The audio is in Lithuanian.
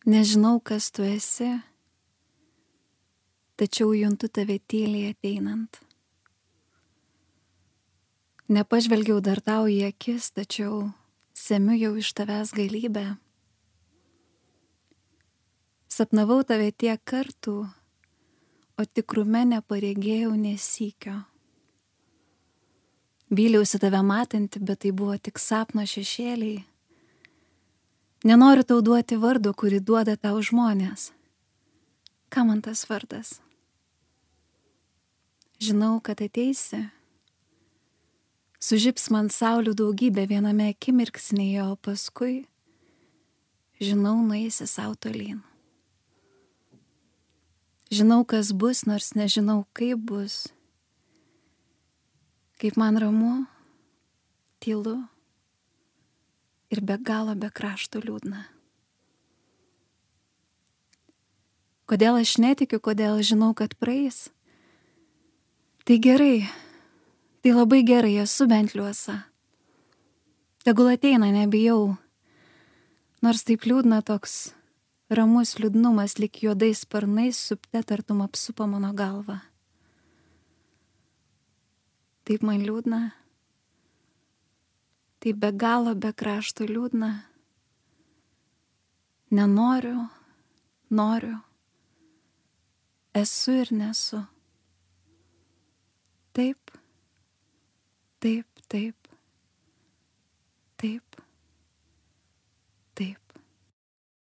Nežinau, kas tu esi, tačiau juntu tave tyliai ateinant. Nepažvelgiau dar tau į akis, tačiau semiu jau iš tavęs galybę. Sapnavau tave tiek kartų, o tikrume neparegėjau nė sykio. Vyliausi tave matanti, bet tai buvo tik sapno šešėliai. Nenoriu tau duoti vardo, kurį duoda tau žmonės. Kam man tas vardas? Žinau, kad ateisi. Sužibs man saulių daugybė viename akimirksnyje, o paskui, žinau, nueisi sau tolyn. Žinau, kas bus, nors nežinau, kaip bus. Kaip man ramu, tylu ir be galo be krašto liūdna. Kodėl aš netikiu, kodėl žinau, kad praeis? Tai gerai, tai labai gerai, esu bent liuosa. Tegul ateina, nebijau. Nors taip liūdna, toks ramus liūdnumas lyg juodais sparnais supte tartum apsupa mano galvą. Taip man liūdna, taip be galo be krašto liūdna. Nenoriu, noriu, esu ir nesu. Taip, taip, taip.